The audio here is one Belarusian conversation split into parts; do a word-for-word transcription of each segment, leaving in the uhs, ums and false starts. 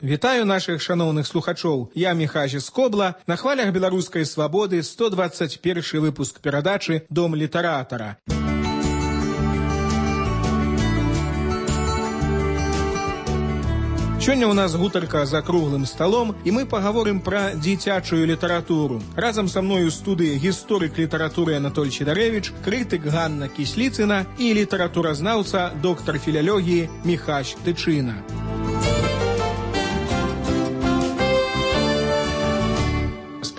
Вітаю наших шановных слухачоў. Я Міхась Скобла. На хвалях беларускай свабоды сто двадцать першы выпуск перадачы «Дом літаратара». Сёння ў нас гутарка за круглым сталом, і мы пагаворым пра дзіцячую літаратуру. Разам са мною ў студыі гісторык літаратуры Анатоль Чедарэвіч, крытык Ганна Кісліцына і літаратуразнаўца, доктар філалогіі Міхась Тычына.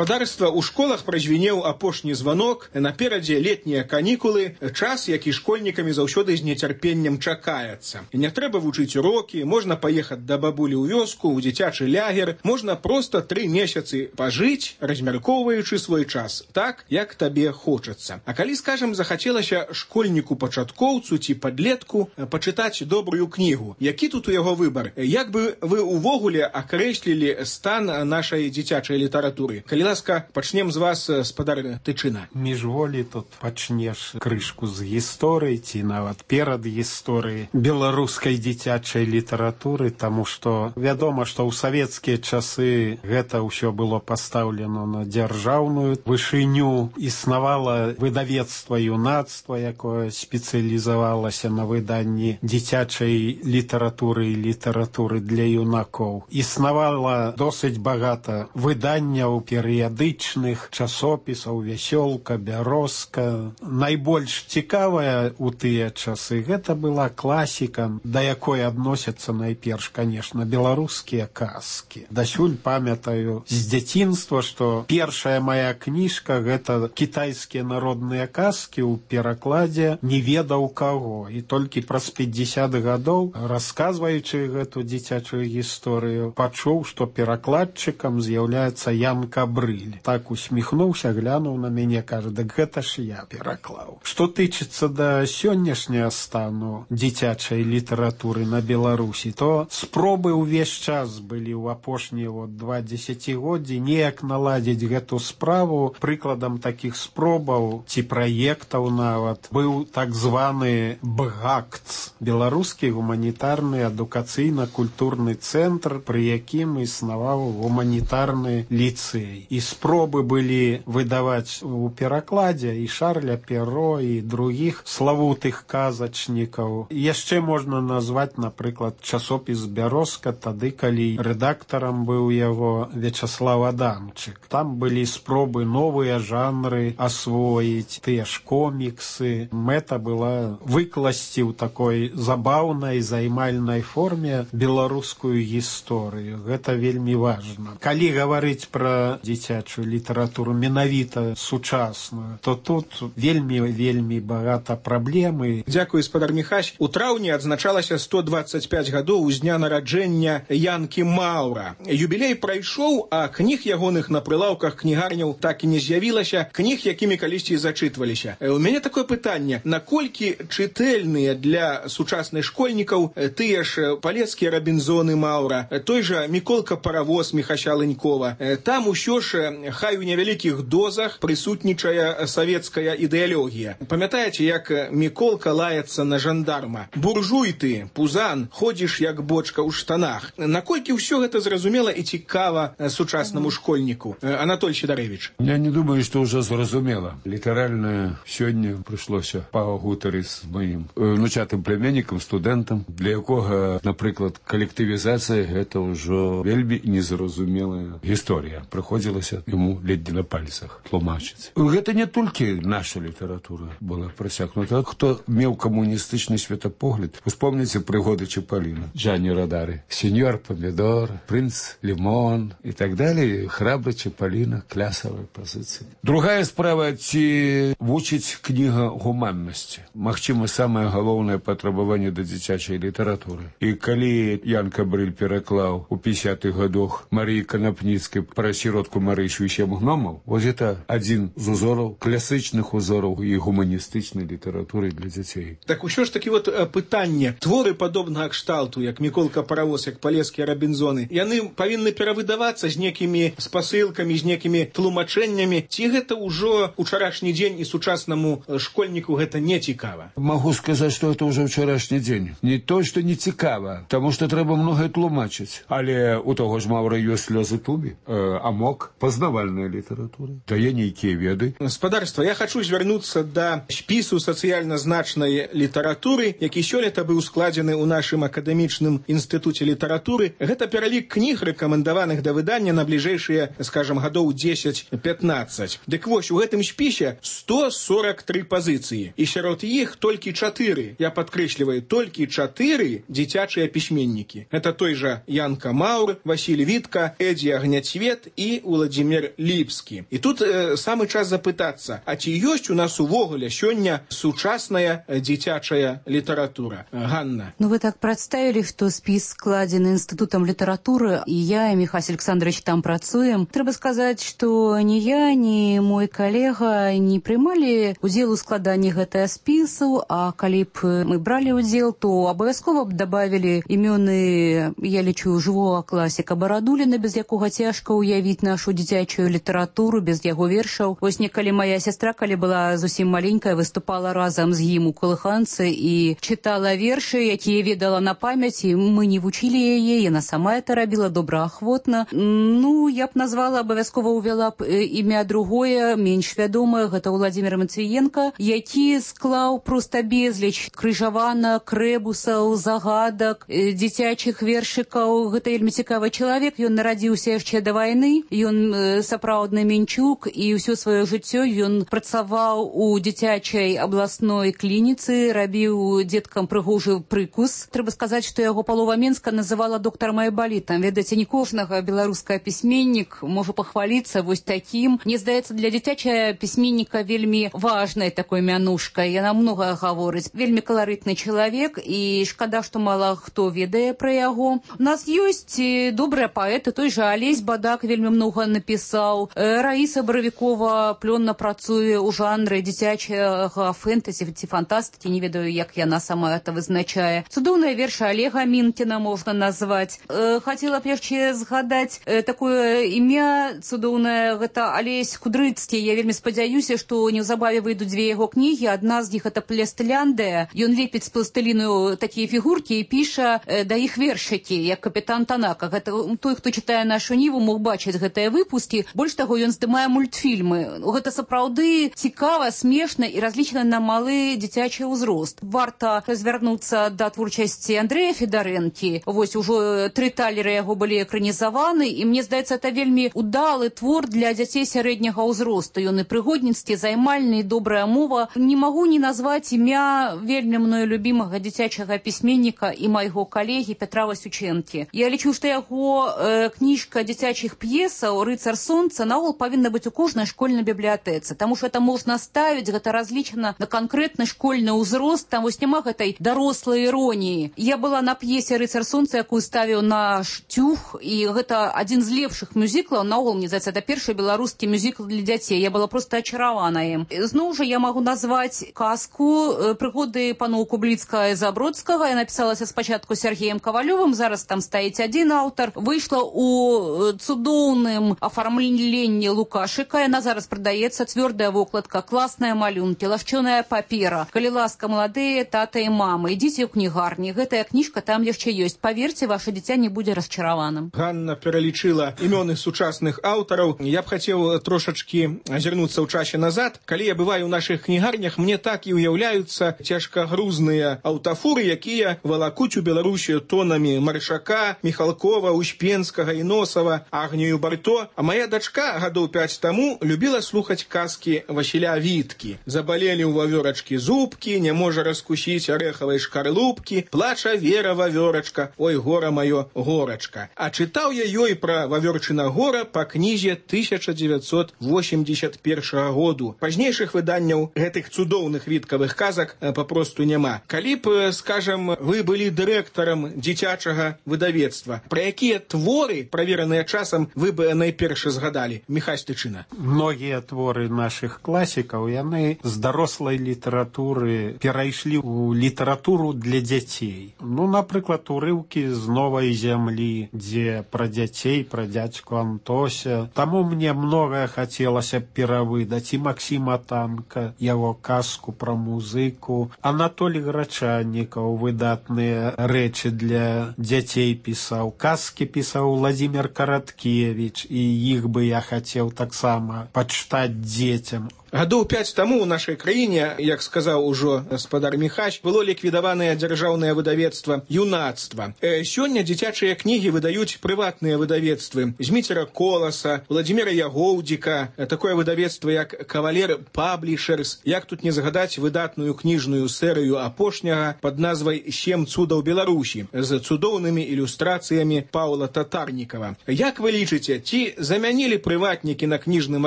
Гаспадарства ў школах празвінеў апошні званок, наперадзе летнія канікулы, час, які школьнікамі заўсёды з нецярпеннем чакаецца. І не трэба вучыць урокі, можна паехаць да бабулі ў вёску, у дзіцячы лягер, можна проста тры месяцы пажыць, размяркоўваючы свой час, так, як табе хочацца. А калі, скажам, захацелася школьніку-пачаткоўцу ці падлетку пачытаць добрую кнігу, які тут у яго выбар? Як бы вы увогуле акрэслілі стан нашай дзіцячай літаратуры? Калі ласка, пачнем з вас, спадар Тычына. Міжволі тут пачнеш крышку з гісторыі ці нават перад гісторыі беларускай дзіцячай літаратуры, таму што вядома, што ў савецкія часы гэта ўсё было пастаўлена на дзяржаўную вышыню. Існавала выдавецтва юнацтва, якое спецыялізавалася на выданні дзіцячай літаратуры і літаратуры для юнакоў. Існавала досыць багата выданняў перыяд перыядычных часопісаў, вясёлка, бярозка. Найбольш цікавая ў тыя часы гэта была класіка, да якой адносяцца найперш, канешне, беларускія казкі. Дасюль памятаю з дзяцінства, што першая мая кніжка гэта кітайскія народныя казкі ў перакладзе не ведаў каго. І толькі праз пятьдесят гадоў, расказваючы гэту дзіцячую гісторыю, пачуў, што перакладчыкам з'яўляецца Ян Кабрыль. Так усміхнуўся, глянуў на мяне, кажа, дык гэта ж я пераклаў. Што тычыцца да сённяшняга стану дзіцячай літаратуры на Беларусі, то спробы ўвесь час былі ў апошнія вот два дзесяцігоддзі неяк наладзіць гэту справу. Прыкладам такіх спробаў ці праектаў нават быў так званы БГАКЦ, беларускі гуманітарны адукацыйна-культурны цэнтр, пры якім існаваў гуманітарны ліцэй. І спробы былі выдаваць у перакладзе і Шарля Перро, і другіх славутых казачнікаў. Яшчэ можна назваць, напрыклад, часопіс «Бярозка», тады, калі рэдактарам быў яго Вячаслав Адамчык. Там былі спробы новыя жанры асвоіць, тыя ж коміксы. Мэта была выкласці ў такой забаўнай, займальнай форме беларускую гісторыю. Гэта вельмі важна. Калі гаварыць пра дзіцячую літаратуру менавіта сучасную, то тут вельмі-вельмі багата праблемы. Дзякуй, спадар Міхась. У траўні адзначалася сто двадцать пять гадоў з дня нараджэння Янкі Маўра. Юбілей прайшоў, а кніг ягоных на прылаўках кнігарняў так і не з'явілася, кніг, якімі калісьці зачытваліся. У мяне такое пытанне: наколькі чытэльныя для сучасных школьнікаў тыя ж палецкія Рабінзоны Маўра, той жа Міколка Паравоз Міхася Ленькова? Там усё ж, хай у невялікіх дозах, прысутнічае савецкая ідэалогія. Памятаеце, як Міколка лаецца на жандарма? Буржуй ты, пузан, ходзіш як бочка ў штанах. Наколькі ўсё гэта зразумела і цікава сучаснаму школьніку? Анатоль Чедарэвіч. Я не думаю, што ўжо зразумела. Літаральна сёння прыйшлося пагутарыць з маім внучатым племяннікам, студэнтам, для якога, напрыклад, калектывізацыя гэта ўжо вельмі незразумелая гісторыя. Прыходзілася ему ледзь на пальцах тлумачыць. Гэта не толькі наша літаратура была прасякнута. Хто меў камуністычны светапогляд, успомніце прыгоды Чапаліна, Джанні Родары, сеньор Помідор, прынц Лімон і так далее. Храбры Чапаліна, клясавыя пазіцыі. Другая справа, ці вучыць кніга гуманнасці. Магчыма, самае галоўнае патрабаванне да дзіцячай літаратуры. І калі Ян Кабрыль пераклаў у пятидесятых гадах Марыі Канапніцкай пра сіротку Марыч вещем гномов. Вот это один из узоров, классичных узоров и гуманистичной литературы для детей. Так ўсё ж таки вот пытанне. Творы падобнага кшталту, як Міколка Паравоз, як палескія Рабінзоны, яны павінны перавыдавацца з некімі спасылкамі, з некімі тлумачэннямі. Ці гэта ўжо учарашні дзень і сучаснаму школьніку гэта не цікава? Могу сказать, что это уже вчерашний день. Не то, что не цікава, потому что треба многое тлумачить. Але у того ж Маўра ёсць слёзы тубі, э, амок, пазнавальная літаратура, дае нейкія веды. Гаспадарства, я хочу звярнуцца да спісу сацыяльна значнай літаратуры, які сёлета быў складзены ў нашым акадэмічным інстытуце літаратуры. Гэта пералік кніг, рэкамендаваных да выдання на бліжэйшыя, скажам, гадоў дзесяць-пятнаццаць. Дык вось, у гэтым спісе сто сорок три пазіцыі, і сярод іх толькі чатыры, я падкрэсліваю, толькі чатыры дзіцячыя пісьменнікі. Это той жа Янка Маур, Васіль Вітка, Эдзі Агняцвет і Уладзімір Ліпскі. І тут э, самы час запытацца, а ці ёсць у нас увогуле сёння сучасная дзіцячая літаратура? Ганна. Ну, вы так представили, что спіс складзены Інстытутам літаратуры, і я, і Михась Александрович там працуем. Трэба сказаць, што ні я, ні мой калега не прымалі удзел у складанні гэтага спісу, а калі б мы бралі удзел, то абавязкова б добавілі імёны, я лічу, жывога класіка Барадуліна, без якога цяжка ўявіць нашу дзіцячую літаратуру, без яго вершаў. Вось некалі моя сястра, калі была зусім маленькая, выступала разам з ім у калыханцы і чытала вершы, якія ведала на памяць, і мы не вучылі яе, яна сама это рабіла добраахвотна. Ну, я б назвала, абавязкова ўвяла б імя другое, менш вядомае, гэта Уладзімір Матвіенка, які склаў проста безліч крыжаванак, рэбусаў, загадак, дзіцячых вершыкаў. Гэта вельмі цікавы чалавек, ён нарадзіўся яшчэ да вайны, ён сапраўдны мінчук, і ўсё сваё жыццё ён працаваў у дзіцячай абласной клініцы, рабіў дзеткам прыгожы прыкус. Трэба сказаць, што яго палова Менска называла доктарам Айбалітам. Ведаеце, не кожнага беларускага пісьменнік можа пахваліцца вось такім. Мне здаецца, для дзіцячая пісьменніка вельмі важнай такой мянушкай. Яна многае гаворыць. Вельмі каларытны чалавек, і шкада, што мала хто ведае пра яго. У нас ёсць добрыя паэты, той жа Алесь Бадак вельмі многа напісаў. Раіса Баравікова плённа працуе ў жанры дзіцячага фэнтэзі ці фантастыкі, не ведаю, як яна сама это вызначае. Цудоўныя вершы Олега Мінкіна можна назваць. Хацела б яшчэ згадаць такое імя цудоўнае, гэта Алесь Кудрыцкі. Я вельмі спадзяюся, што неўзабаве выйдуць дзве яго кнігі. Адна з іх это Пластыляндыя. Ён лепіць з пластыліну такія фігуркі і піша да іх вершыкі, як капітан Танака. Гэта той, хто чытае нашу ніву, мог бачыць гэтыя выпускі. Больш таго, ён здымае мультфільмы. Гэта сапраўды цікава, смешна і разлічана на малы дзіцячы ўзрост. Варта звярнуцца да творчасці Андрэя Федарэнкі. Вось ужо тры талеры яго былі экранізаваны, і мне здаецца, это вельмі удалы твор для дзяцей сярэдняга ўзросту. Ён і прыгодніцкі, займальны, і добрая мова. Не магу не назваць імя вельмі мною любімага дзіцячага пісьменніка і майго калегі Пятра Васючэнкі. Я лічу, што яго э, кніжка дзіцячых п'есаў «Рыцар сонца» наогул павінна быць у кожнай школьнай бібліятэцы, таму што это можна ставіць, гэта разлічана на канкрэтны школьны ўзрост, там вось няма гэтай дарослай іроніі. Я была на п'есе «Рыцар сонца», якую ставіў наш Тюх, і гэта адзін з лепшых мюзіклаў, наогул, мне здаецца, это першы беларускі мюзікл для дзяцей. Я была проста ачаравана ім. Зноў жа я магу назваць казку «Прыгоды паноў Кубліцкага і Забродскага». Я напісалася спачатку Сергеем Кавалёвым, зараз там стаіць адзін аўтар. Выйшла у цудоўным афармленні Лукашыка. Яна зараз прадаецца, цвёрдая вокладка, класныя малюнкі, лашчоная папера. Калі ласка, маладыя тата і мамы, ідзіце ў кнігарні. Гэтая кніжка там яшчэ ёсць. Паверце, ваше дзіця не будзе расчараваным. Ганна пералічыла імёны сучасных аўтараў. Я б хацеў трошачкі азірнуцца ў часе назад. Калі я бываю ў нашых кнігарнях, мне так і ўяўляюцца цяжкагрузныя аўтафуры, якія валакуць у Беларусі тонамі Маршака, Міхалкова, Успенскага, Іносава, Агнію Барто. А моя дачка гадоў пяць таму любіла слухаць казкі Васіля Віткі. Забалелі ў вавёрачкі зубкі, не можа раскусіць арэхавай шкарлупкі, плача Вера вавёрачка, ой, гора маё, горачка. А чытаў я ёй пра вавёрчына гора па кнізе тысяча дзевяцьсот восемьдесят першага году. Пазнейшых выданняў гэтых цудоўных віткавых казак папросту няма. Калі б, скажам, вы былі дырэктарам дзіцячага выдавецтва, пра якія творы, правераныя часам, вы бы найперш найперш згадалі? Міхась Тычына. Многія творы нашых класікаў, яны з дарослай літаратуры перайшлі ў літаратуру для дзяцей. Ну, напрыклад, урыўкі з новай зямлі, дзе пра дзяцей, пра дзядзьку Антося. Таму мне многае хацелася перавыдаць. І Максіма Танка, яго казку пра музыку. Анатолій Грачаннікаў выдатныя рэчы для дзяцей пісаў. Казкі пісаў Владзімир Караткевіч, і іх бы я хацеў таксама пачытаць дзецям. Гадоў пяць таму ў нашай краіне, як сказаў ужо гаспадар Міхась, было ліквідаванае дзяржаўнае выдавецтва «Юнацтва». Э, сёння дзіцячыя кнігі выдаюць прыватныя выдавецтвы. Зміцера Коласа, Владзіміра Ягоўдзіка, такое выдавецтва як «Кавалер Паблішерс». Як тут не згадаць выдатную кніжную серыю апошняга пад назвай «Сем цудаў Беларусі» з цудоўнымі ілюстрацыямі Паўла Татарнікава. Як вы лічыце, ці замянілі прыватнікі на кніжным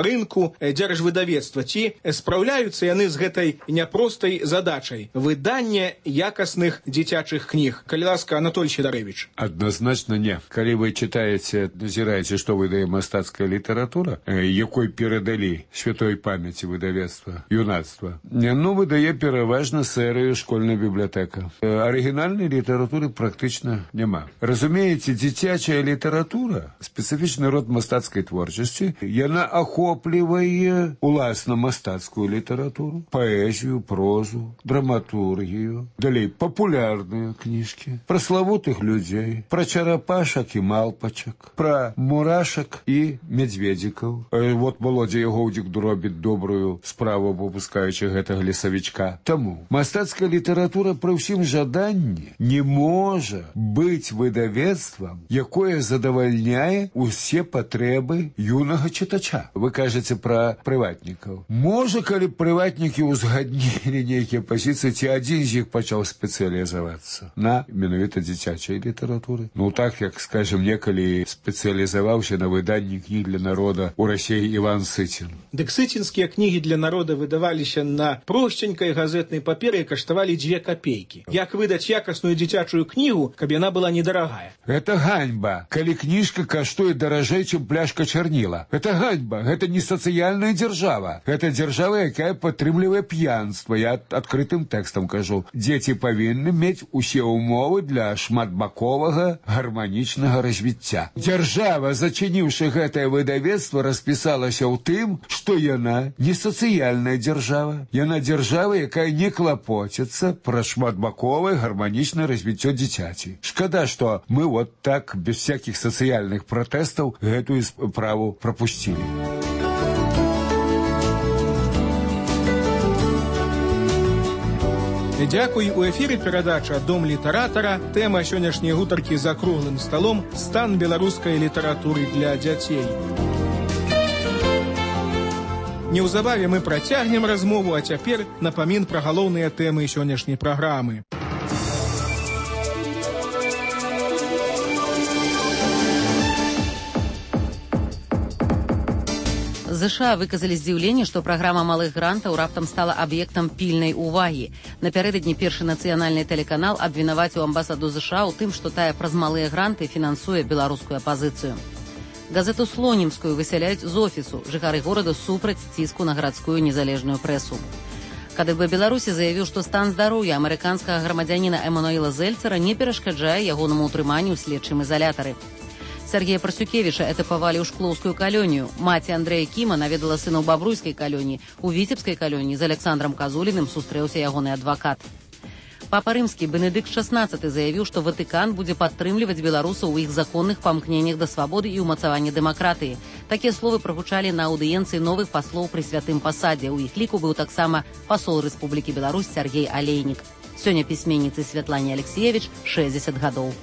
рынку дзяржвыдавецтва? Ці спраўляюцца яны з гэтай няпростай задачай выдання якасных дзіцячых кніг? Калі ласка, Анатолій Сідарэвіч. Адназначна не. Калі вы чытаеце, назіраеце, што выдае мастацкая літаратура, якой перадалі святой памяці выдавецтва «Юнацтва», ну, выдае пераважна серыю «Школьная бібліятэка». Арыгінальнай літаратуры практычна няма. Разумееце, дзіцячая літаратура, спецыфічны род мастацкай творчасці, яна ахоплівае уласна мастацкую літаратуру, паэзію, прозу, драматургію, далей папулярныя кніжкі, пра славутых людзей, пра чарапашак і малпачак, пра мурашак і мядзведзікаў. Вот Володя Ягоўдзік робіць добрую справу, выпускаючы гэтага лесавічка. Таму мастацкая літаратура пры ўсім жаданні не можа быць выдавецтвам, якое задавальняе усе патрэбы юнага чытача. Вы кажаце пра прыватнікаў. Можа, калі прыватнікі ўзгаднілі нейкія пазіцыі, ці адзін з іх пачаў спецыялізавацца на менавіта дзіцячай літаратуры. Ну так, як, скажем, некалі спецыялізаваўся на выданні кніг для народа ў Расіі Іван Сыцін. Дык сыцінскія кнігі для народа выдаваліся на просценькай газетнай паперы і каштавалі дзве капейкі. Як выдаць якасную дзіцячую кнігу, каб яна была недарагая? Гэта ганьба, калі кніжка каштуе даражэй, чым пляшка чарніла. Гэта ганьба, гэта не сацыяльная дзяржава. Гэта дзяржава, якая падтрымлівае п'янства. Я адкрытым тэкстам кажу. Дзеці павінны мець усе ўмовы для шматбаковага гарманічнага развіцця. Дзяржава, зачыніўшы гэтае выдавецтва, распісалася ў тым, што яна не сацыяльная дзяржава. Яна дзяржава, якая не клапоціцца пра шматбаковае гарманічнае развіццё дзіцяці. Шкада, што мы вот так, без всякіх сацыяльных пратэстаў, гэтую справу прапусцілі. Дзякуй. У эфіры перадача «Дом літаратара». Тэма сённяшняй гутаркі за круглым сталом «Стан беларускай літаратуры для дзяцей». Неўзабаве мы працягнем размову, а цяпер напамін пра галоўныя тэмы сённяшняй праграмы. ЗША выказалі здзіўленне, што праграма малых грантаў раптам стала аб'ектам пільнай увагі. Напярэдадні першы нацыянальны тэлеканал абвінаваціў амбасаду ЗША ў тым, што тая праз малыя гранты фінансуе беларускую апазіцыю. Газету «Слонімскую» высяляюць з офісу. Жыхары горада супраць ціску на гарадскую незалежную прэсу. КДБ Беларусі заявіў, што стан здароўя амерыканскага грамадзяніна Эмануэла Зельцера не перашкаджае ягонаму ўтрыманню ў следчым изалятары. Сергея Парсюкевіча этапавалі ў шклоўскую калонію. Маці Андрэя Кіма наведала сына ў бабруйскай калоніі. У віцебскай калоніі з Александром Казуліным сустрэўся ягоны адвакат. Папа Рымскі Бенедыкт шаснаццаты заявіў, што Ватыкан будзе падтрымліваць беларусаў у іх законных памкненнях да свабоды і ўмацавання дэмакратыі. Такія словы прагучалі на аўдыенцыі новых паслоў пры святым пасадзе. У іх ліку быў таксама пасол Рэспублікі Беларусь Сергей Алейнік. Сёння пісьменніцы Святлане Алексеевич шэсцьдзесят гадоў.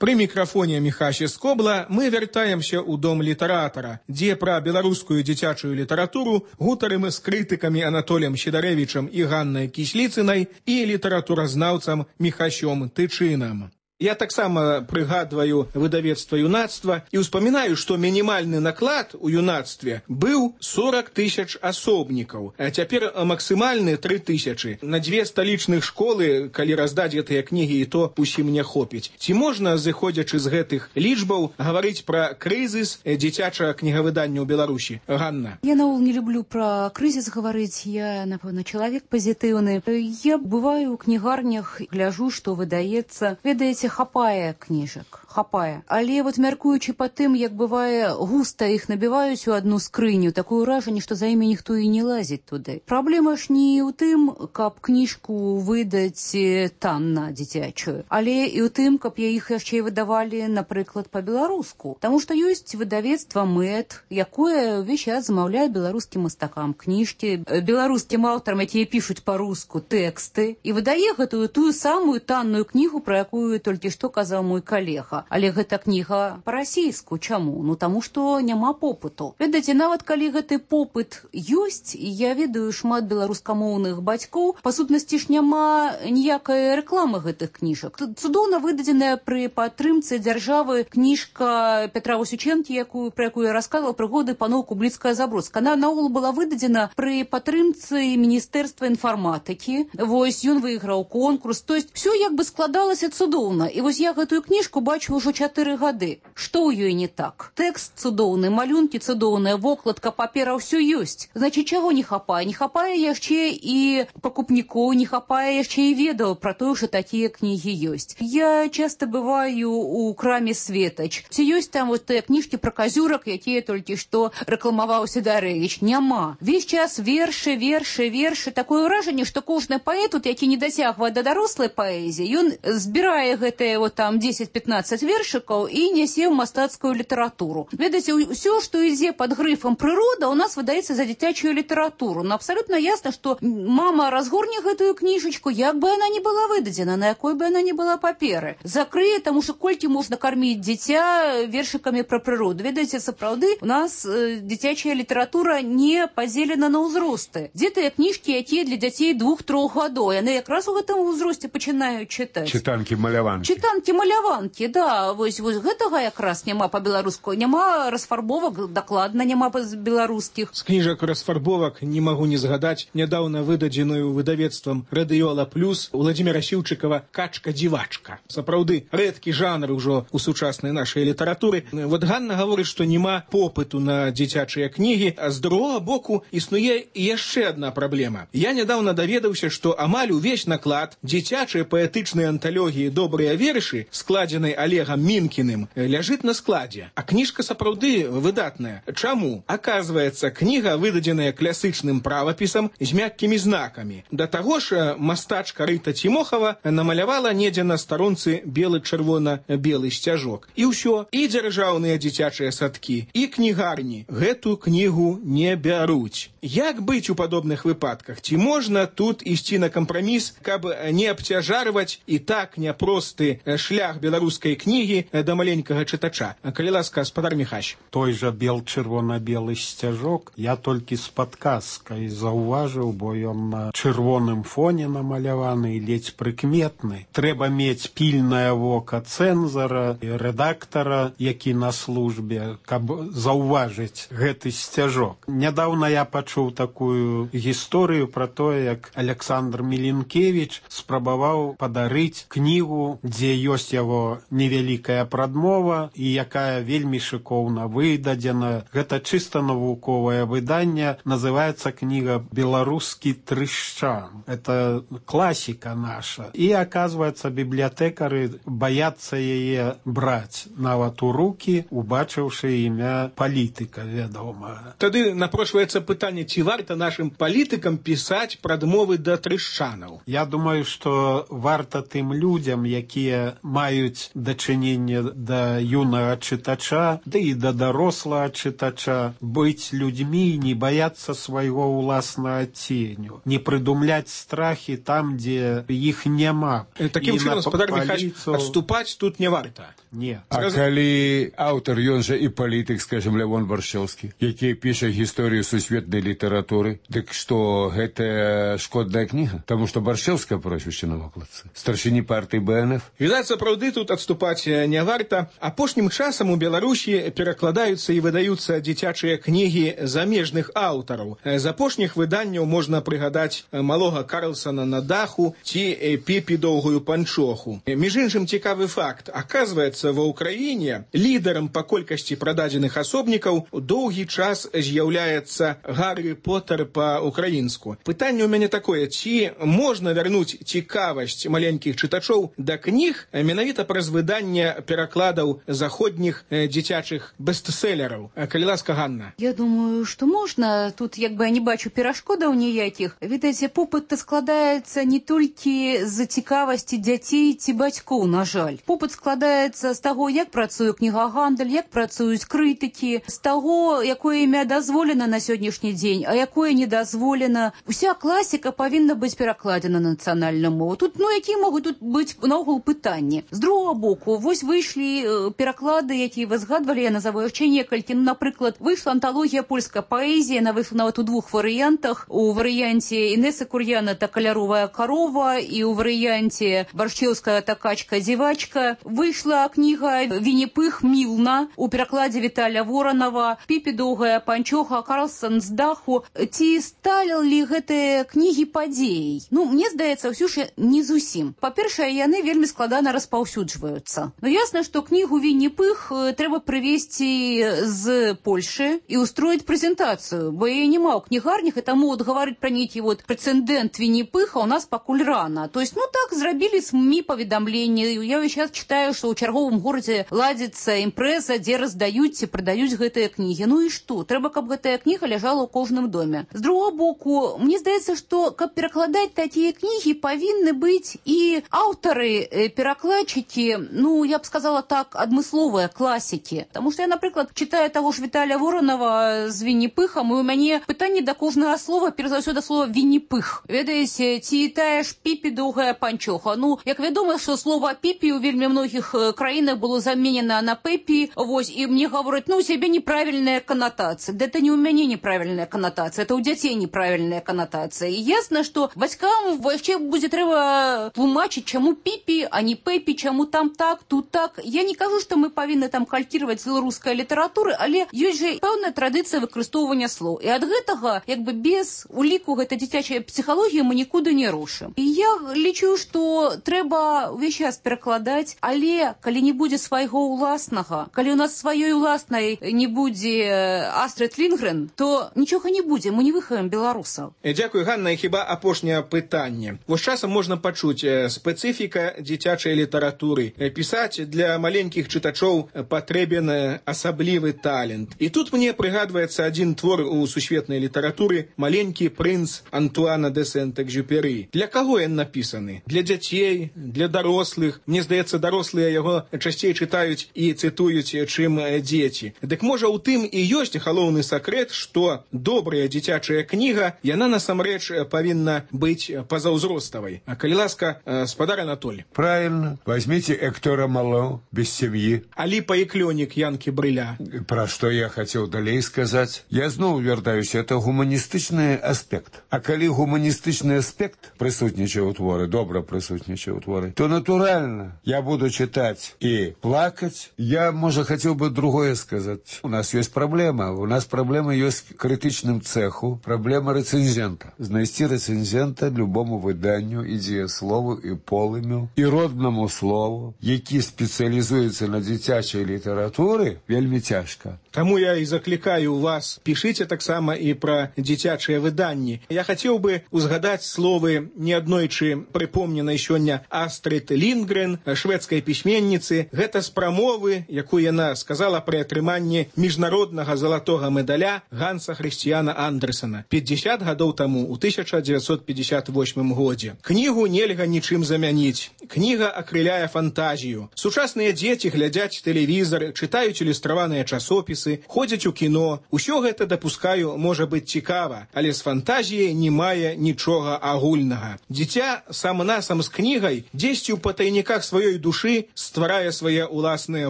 Пры мікрафоне Міхась Скобла мы вяртаемся ў дом літаратара, дзе пра беларускую дзіцячую літаратуру гутарым з крытыкамі Анатоліем Сідарэвічам і Ганнай Кісліцынай і літаратуразнаўцам Міхасём Тычынам. Я таксама прыгадваю выдавецтва юнацтва і ўспамінаю, што мінімальны наклад у юнацтве быў сорок тысяч асобнікаў, а цяпер максімальны тры тысячы. На дзве сталічных школы, калі раздаць гэтыя кнігі, і то усім не хопіць. Ці можна, зыходзячы з гэтых лічбаў, гаварыць пра крызіс дзіцячага кнігавыдання ў Беларусі? Ганна. Я наогул не люблю пра крызіс гаварыць, я, напэўна, чалавек пазітыўны. Я бываю ў кнігарнях, гляжу, што выдаецца. Ведаеце, хапае кніжак, хапае. Але вот мяркуючы па тым, як бывае, густа іх набіваюць у адну скрыню, такое ўражанне, што за імі ніхто і не лазіць туды. Праблема ж не ў тым, каб кніжку выдаць танна дзіцячую, але і ў тым, каб я іх яшчэ выдавалі, напрыклад, па-беларуску. Таму што ёсць выдавецтва мэт, якое ўвесь час замаўляе беларускім мастакам кніжкі, беларускім аўтарам, якія пішуць па-руску тэксты, і выдае гэтую тую самую танную кнігу, пра якую толькі што казаў мой калега. Але гэта кніга па-расійску. Чаму? Ну, таму што няма попыту. Ведаеце, нават калі гэты попыт ёсць, і я ведаю шмат беларускамоўных бацькоў, па сутнасці ж няма ніякай рэкламы гэтых кніжак. Цудоўна выдадзеная пры падтрымцы дзяржавы кніжка Петра Васючэнкі, якую, пра якую я расказвала, прыгоды паноў Кубліцкая-Забродская. Она наогул была выдадзена пры падтрымцы Міністэрства інфарматыкі. Вось, ён выйграў конкурс. То есть, все як бы складалася цудоўна. І вось я гэтую кніжку бачу ўжо чатыры гады. Што ў ёй не так? Тэкст цудоўны, малюнкі цудоўныя, вокладка, папера, ўсё ёсць. Значыць, чаго не хапае? Не хапае яшчэ і пакупнікоў, не хапае яшчэ і ведаў пра тое, што такія кнігі ёсць. Я часта бываю у краме «Светач». Ці ёсць там вот тыя кніжкі пра казюрак, якія толькі што рэкламаваў Сідарэвіч? Няма. Весь час вершы, вершы, вершы. Такое ўражанне, што кожны паэт, які не дасягвае да дарослай паэзіі, ён збірае гэтыя вот там дзесяць-пятнаццаць вершыкаў і нясе ў мастацкую літаратуру. Ведаеце, ўсё, што ідзе пад грыфам прырода, у нас выдаецца за дзіцячую літаратуру. Но абсалютна ясна, што мама разгорне гэтую кніжачку, як бы яна не была выдадзена, на якой бы яна не была паперы. Закрые, таму што колькі можна карміць дзіця вершыкамі пра прыроду. Ведаеце, сапраўды, у нас э, дзіцячая літаратура не падзелена на ўзросты. Дзе тыя кніжкі, якія для дзяцей двух-трох гадоў, яны якраз у гэтым узросце пачынаюць чытаць. Чытанкі-маляванкі. Чытанкі-маляванкі, да. Вось, вось гэтага якраз няма па-беларуску. Няма расфарбовак, дакладна няма па-беларускіх. З кніжак расфарбовак не магу не згадаць нядаўна выдадзеную выдавецтвам «Радыёла Плюс» Владзіміра Сіўчыкава «Качка-дзівачка». Сапраўды, рэдкі жанр ужо у сучаснай нашай літаратуры. Вот Ганна гаворыць, што няма попыту на дзіцячыя кнігі, а з другога боку існуе яшчэ адна праблема. Я нядаўна даведаўся, што амаль увесь наклад дзіцячай паэтычнай анталогіі «Добрыя вершы», складзенай Олегам Мінкіным, ляжыць на складзе. А кніжка сапраўды выдатная. Чаму? Аказваецца, кніга выдадзеная класычным правапісам з мяккімі знакамі. Да таго ж мастачка Рыта Цімохава намалявала недзе на старонцы белы-чырвона-белы сцяжок. І ўсё, і дзяржаўныя дзіцячыя садкі, і кнігарні гэту кнігу не бяруць. Як быць у падобных выпадках? Ці можна тут ісці на кампраміс, каб не абцяжарваць і так няпросты шлях беларускай кнігі да маленькага чытача? Калі ласка, спадар Міхась. Той жа бел-чырвона-белы сцяжок я толькі з падказкай заўважыў, бо ён на чырвоным фоне намаляваны і ледзь прыкметны. Трэба мець пільнае вока цэнзара і рэдактара, які на службе, каб заўважыць гэты сцяжок. Нядаўна я пачуў такую гісторыю пра тое, як Александр Міленкевіч спрабаваў падарыць кнігу, дзе ёсць яго невялікая прадмова і якая вельмі шыкоўна выдадзена. Гэта чыста навуковае выданне, называецца кніга «Беларускі трышчан». Это класіка наша. І, аказваецца, бібліятэкары баяцца яе браць нават у рукі, убачыўшы імя палітыка, вядома. Тады напрошваецца пытанне, ці варта нашым палітыкам пісаць прадмовы да трышчанаў? Я думаю, што варта тым людзям, якія маюць дачыненне да юнага чытача, да і да дарослага чытача, быць людзьмі, не баяцца свайго ўласнага ценю, не прыдумляць страхі там, дзе іх няма. Такім чынам, спадар Міхась, адступаць тут не варта. Не. А калі аўтар, ён жа і палітык, скажем, Лявон Баршчэўскі, які піша гісторыю сусветнай літаратуры, дык што гэта шкодная кніга? Таму што Баршчэўская прозвішча на вокладцы. Старшыні партыі Бэ Эн Эф. Відаць, сапраўды тут адступаць не варта. Апошнім часам у Беларусі перакладаюцца і выдаюцца дзіцячыя кнігі замежных аўтараў. З апошніх выданняў можна прыгадаць малога Карлсона на даху ці Піпі доўгую панчоху. Між іншым, цікавы факт. Аказваецца, ва ўкраіне лідарам па колькасці прададзеных асобнікаў доўгі час з'яўляецца Гаррі Поттер па-украінску. Пытанне ў мяне такое, ці можна вярнуць цікавасць маленькіх чытачоў да кніг менавіта праз выданне перакладаў заходніх дзіцячых бестселераў? Калі ласка, Ганна. Я думаю, што можна. Тут як бы я не бачу перашкодаў ніякіх. Відаць, попыт складаецца не толькі з цікавасці дзяцей ці бацькоў, на жаль. Попыт складаецца з таго, як працуе кнігагандаль, як працуюць крытыкі, з таго, якое імя дазволена на сённяшні дзень, а якое не дазволена. Уся класіка павінна быць перакладзена на нацыянальную мову. Тут, ну, якія могуць тут быць наогул пытанні? З другого боку, вось выйшлі пераклады, якія вы згадвалі, я назову іх некалькі. Ну, напрыклад, выйшла анталогія польскай паэзіі, яна выйшла нават у двух варыянтах. У варыянце Інесы Кур'яна «Та каляровая корова» і у варыянце Баршчеўская «Та качка-дзівачка». Выйшла кніга «Вінні-Пых Мілна» у перакладзе Віталя Воранова, «Піпі доўгая панчоха», «Карлсон з даху». Ці сталі гэтыя кнігі падзеяй? Ну, мне здаецца, ўсё ж не зусім. Па-першае, яны вельмі складана распаўсюджваюцца. Ну, ясна, што кнігу «Вінні-Пых» трэба прывезці з Польшы і устроіць прэзентацыю, бо яе няма ў кнігарнях, і таму вот гаварыць пра нейкі вот прэцэдэнт Вінні-Пыха у нас пакуль рана. То есть, ну так, зрабілі СМІ паведамленні. Я весь час читаю, што ў чарговым горадзе ладзіцца імпрэза, дзе раздаюць ці прадаюць гэтыя кнігі. Ну і што? Трэба, каб гэтая кніга ляжала ў кожным доме. З другого боку, мне здаецца, што каб перакладаць такія кнігі, павінны быць і аўтары, перакладчыкі, ну, я б сказала так, адмысловыя класікі. Таму што я, напрыклад, читаю таго ж Віталя Воранова з Вінні-Пыхам, і у мяне пытанне да кожнага слова, перш за ўсё да слова Вінні-Пых. Ведаеце, ці тая ж Піпі доўгая панчоха. Ну, як вядома, што слова Піпі ў вельмі многіх краінах было заменена на Пепі, вось, і мне гавораць, ну, у цябе неправільная канатацыя. Да это не ў мяне неправільная канатацыя, это ў дзяцей неправільная канатацыя. І ясна, што бацькам яшчэ будзе трэба тлумачыць, чаму Піпі, а не Пепі, чаму там так, тут так. Я не кажу, што мы павінны там калькіраваць беларускай літаратуры, але ёсць жа пэўная традыцыя выкарыстоўвання слоў. І ад гэтага, як бы без уліку гэта дзіцячая псіхалогія, мы нікуды не рушым. І я лічу, што трэба ўвесь час перакладаць, але калі не будзе свайго ўласнага, калі у нас сваёй уласнай не будзе Астрид Лінгрен, то нічога не будзе, мы не выхаваем беларусаў. Дзякуй, Ганна, і хіба апошняе пытанне. Вось часам можна пачуць спецыфіка дзіцячай літаратуры. Пісаць для маленькіх чытачоў патрэбен асаблівы талент. І тут мне прыгадваецца адзін твор у сусветнай літаратуры «Маленькі прынц» Антуана де Сент-Экзюпері. Для каго ён напісаны? Для дзяцей, для дарослых. Мне здаецца, дарослыя яго часцей чытаюць і цытуюць, чым дзеці. Дык можа ў тым і ёсць галоўны сакрэт, што добрая дзіцячая кніга, яна насамрэч павінна быць пазаўзроставай. А калі ласка, спадар Анатоль. Правильно. Возьмите Эктора Мало «Без семьи». Аліпа і клёнік Янкі Брыля. Про что я хотел далей сказать. Я зноў вяртаюся, это гуманістычны аспект. А калі гуманістычны аспект прысутнічае ў творы, добра прысутнічае ў творы, то натуральна я буду читать и плакать. Я, может, хотел бы другое сказать. У нас есть проблема. У нас проблема есть критичным цеху. Проблема рецензента. Знайсці рецензента любому выданню, і дзеяслову, і полымю, і родному слову, які спецыялізуецца на дзіцячай літаратуры, вельмі цяжка. Таму я і заклікаю вас, пішыце таксама і пра дзіцячыя выданні. Я хацеў бы узгадаць словы неаднойчы прыпомненай сёння Астрид Лінгрен, шведскай пісьменніцы. Гэта з прамовы, якую яна сказала пры атрыманні міжнароднага залатога медаля Ганса Хрысціяна Андерсена пятьдесят гадоў таму, у тысяча девятьсот пятьдесят восьмым годзе. Кнігу нельга нічым замяніць. Кніга акрыляе фантазію. Сучасныя дзеці глядзяць тэлевізор, чытаюць ілюстраваныя часопісы, ходзяць у кіно. Усё гэта, дапускаю, можа быць цікава, але з фантазіяй не мае нічога агульнага. Дзіця сам-насам з кнігай дзесьці ў патайніках сваёй душы стварае свае ўласныя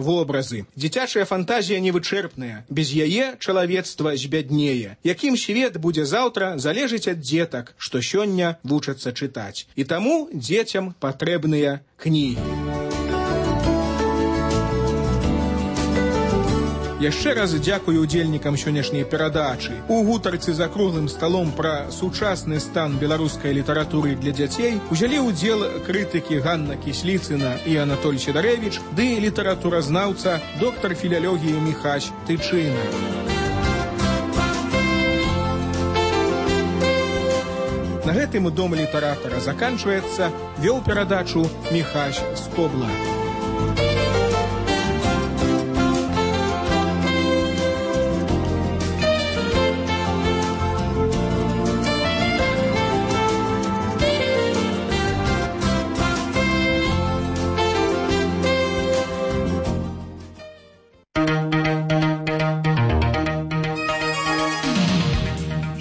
вобразы. Дзіцячая фантазія невычэрпная. Без яе чалавецтва збяднее. Якім свет будзе заўтра, залежыць ад дзетак, што сёння вучацца чытаць. І таму дзецям патрэбныя кнігі. Яшчэ раз дзякую удзельнікам сённяшняй перадачы. У гутарцы за круглым сталом пра сучасны стан беларускай літаратуры для дзяцей узялі ўдзел крытыкі Ганна Кісліцына і Анатоль Сідарэвіч ды літаратуразнаўца доктар філялогіі Міхась Тычына. На гэтым дом літаратара заканчваецца. Вёў перадачу Міхась Скобла.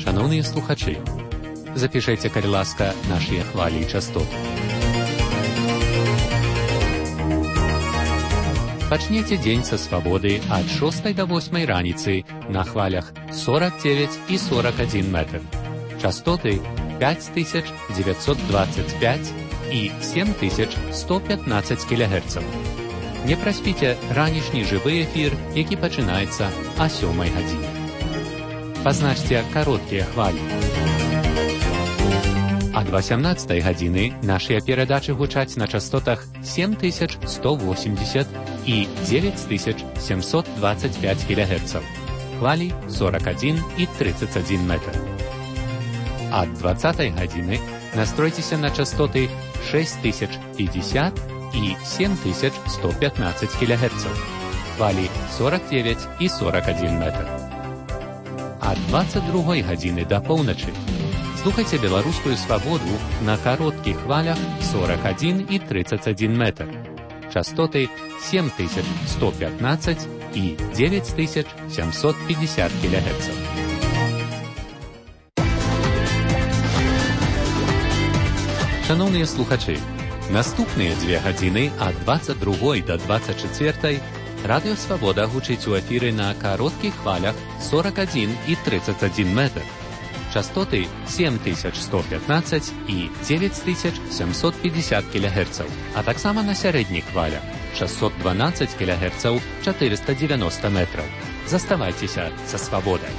Шановні слухачі, запишите, калі ласка, наші хвалі і частоты. Пачнеце дзень са свабоды ад шостай да восьмай раніцы на хвалях сорок девять і сорок один метр. Частоты пять тысяч девятьсот двадцать пять і семь тысяч сто пятнадцать кілогерцаў. Не праспіце ранішні жывы эфір, які пачынаецца а сёмай гадзіне. Пазначце кароткія хвалі. Ад восемнадцатай гадзіны нашыя перадачы гучаць на частотах семь тысяч сто восемьдесят і девять тысяч семьсот двадцать пять кілогерцаў. Хвалі сорок один і тридцать один метр. Ад двадцатай гадзіны настройцеся на частоты шесть тысяч пятьдесят і семь тысяч сто пятнадцать кілогерцаў. Хвалі сорок девять і сорок один метр. Ад двадцать другой гадзіны да поўначы слухайце беларускую свабоду на кароткіх хвалях сорок один і тридцать один метр. Частоты семь тысяч сто пятнадцать і девять тысяч семьсот пятьдесят кілогерцаў. Шановныя слухачы, наступныя дзве гадзіны ад двадцать другой да двадцать чацвёртай Радыё Свабода гучыць у эфіры на кароткіх хвалях сорок один і тридцать один метр. Частоты семь тысяч сто пятнадцать і девять тысяч семьсот пятьдесят кілогерцаў, а таксама на сярэдніх хвалях шестьсот двенадцать кілогерцаў, четыреста девяносто метраў. Заставайцеся са свабодай.